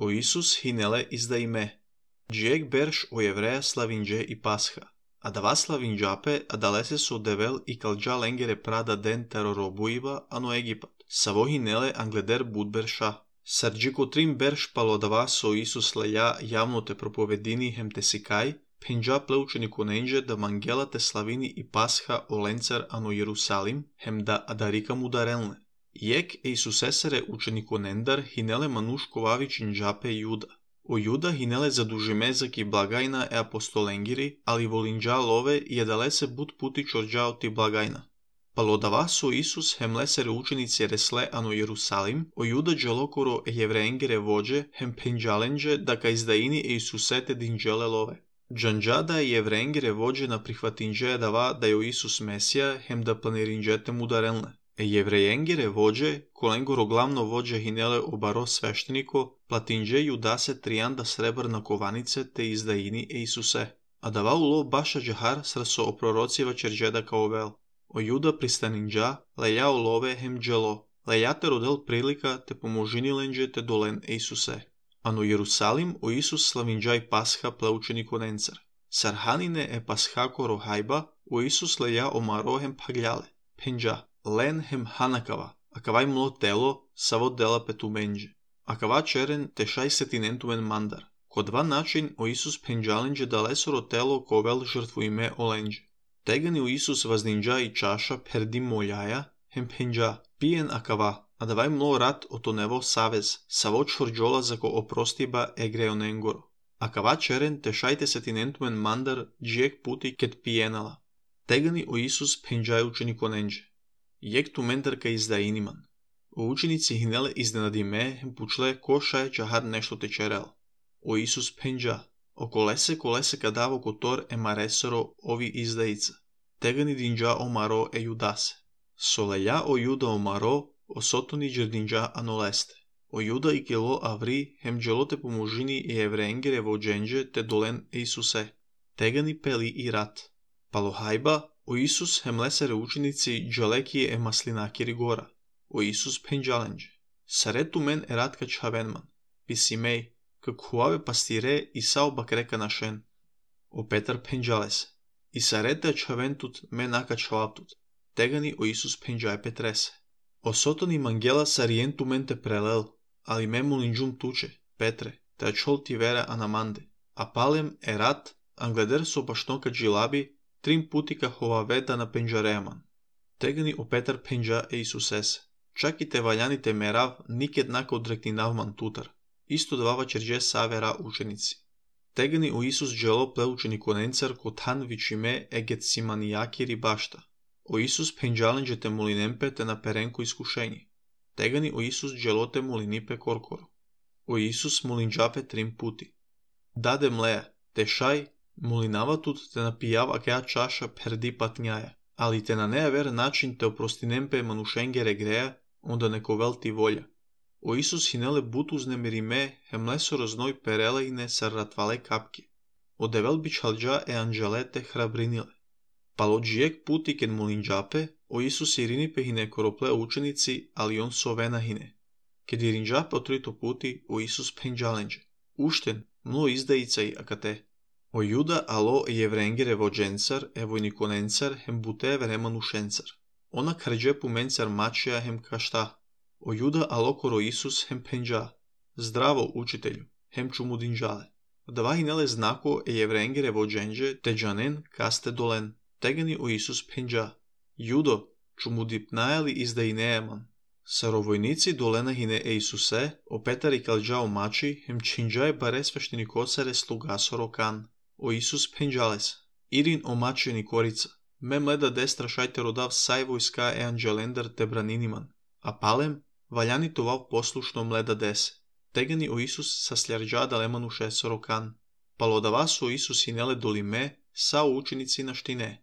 O Isus hinele izdaime. Джиек берш о еврея славиндже и Пасха. А дава славинджапе адалесе со девел и калджа ленгере прада ден тероробуива ано Египет. Саво хинеле англедер будберша. Сарджико трим берш палодава со Исус леја јавно те проповедини хем те сикај, пенджа плеученико ненже да мангела те славини и Пасха о ленцер ано Јерусалим, хем да адарика му дарелне. Јек Исусесере ученико нендар хинеле манушковави чинджапе Јуда. O Јуда хинеле задужиме заки благајна е апостоленгири, али волинджа лове и едалесе буд пути чорджао ти благајна. Палодава со Исус хем лесере ученици ресле ано Јерусалим, о Јуда джелокоро е евреенгере воđe хем пенджаленđe да ка издаини е Исусете динđеле лове. Джанđа да е евреенгере воđe на прихватинđе дава да јо Исус Месија хем да планиринđете му дарелне. Е евреенгере воđe, коленгоро главно воđe хинеле обаро свештенико, платинđe Јудасе 3 сребрна кованице те издаини е Исусе. А дава уло баша джахар срсо о пророцива черđеда каовел. O Јуда пристанинđа, леја олове хем джело, леја те родел прилика те поможинилендже те долен е Исусе. Ано Јерусалим о Исус славинđа и Пасха плеученико ненцер. Сарханине е Пасхако рохајба, о Исус леја омаро хем паглјале, пенđа, лен хем ханакава, акавај мло тело, саво дела петумендже. Акава черен те шај сетинентумен мандар. Ко два начин о Исус пенđалендже далесоро тело ковел жртвуиме олендже. Тегани у Исус ваздинđа и чаша перди молјаја, хем пенđа, пиен акава, а давај мло рат ото нево савез, саво чорđола зако опростиба егреоненгоро. Акава черен те шајте сетинентумен мандар джиек пути кет пиенала. Тегани у Исус пенđај ученико ненđе. Јек тумендар ка издаиниман. О ученици хинеле изненадиме хем пучле ко шај чахар нешто те черел. О Исус пенđа. O колесе кадаво котор е маресоро ови издаица. Тегани динđа омаро е Јудасе. Со леја о Јуда омаро, о сотони джердинđа анолесте. О Јуда и кело аври, хем джелоте поможини и евреенгере воđenđe те долен е Исусе. Тегани пели и рат. Палохајба, о Исус хем лесере ученици джалеки е маслинакири гора. О Исус пенđалендже. Сарету мен е рат кач хавенман. Писимеј, как хуаве пастире и сао бакрека нашен. О Петар пенđалесе. И сарете чавентут ме нака чалаптут. Тегани о Исус пенđај Петресе. О сотони мангела сариенту мен те прелел, али ме молинđум туче, Петре, те чол ти вера анаманде. А палем е рат, англедер со башнока джилаби, 3 пути ка ховаведа на пенđареаман. Тегани о Петар пенđа е Исусесе. Чак и те ваљаните мерав никед нака одрекнинавман тутар. Исто давава черđe савера ученици. Тегани о Исус джело плеученико ненцер котан вичиме е Гетсиманијакири башта. О Исус пенđалендже те молинемпе те на перенко искушење. Тегани о Исус джелоте молинипе коркоро. О Исус молинđапе 3 пути. Даде млеја, те шај, молинаватут те напијава кеа чаша перди патњаја, али те на неа вер начин те опростинемпе манушенгере греја, онда нековел ти волја. O Isus hinele but uznemirime hem leso roznoј perelejne sarratvale kapke. O devel bičalđa e anđelete hrabrinile. Palo džijek puti ken molinđape, o Isus irinipe hine korople učenici, ali on sovena hine. Ked irinđape otrito puti, o Isus penđalenđe. Ušten, mlo izdajicaj akate. O Juda alo e jevrengere vođencar, e vojnikonencar, hem bute veremanušencar. Ona krđe pumencar mačija hem kašta. O Јуда алокоро Исус хем пенđа. Здраво, учителју, хем чу му динđале. Дава хинеле знако е евреенгере воđenđe те джанен касте долен. Тегани о Исус пенđа. Јудо, чу му дипнајали издаинееман. Саровојници долена хине е Исусе, о Петар и калđа омачи, хем чинđај баре свештеникосаре слугасоро кан. О Исус пенđалес. Ирин омачи никорица. Ме мледа дестра шајте родав сај војска е анđелендар те браниниман. А палем, ваљани това послушно мледа десе. Тегани о Исус са слјарđа далеману шесоро кан. Палодава со Исус хинеле долиме, са ученици на штине.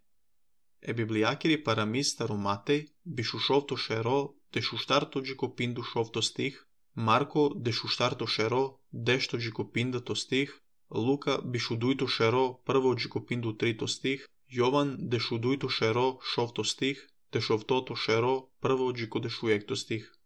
Е библијакири парамис старо Матеј, бишушовто шеро, дешуштарто джикопинду шовто стих, Марко дешуштарто шеро, дешто джикопиндато стих, Лука бишудујто шеро, прво джикопинду трито стих, Јован дешудујто шеро, шовто стих, дешовтото шеро, прво джико дешујекто стих.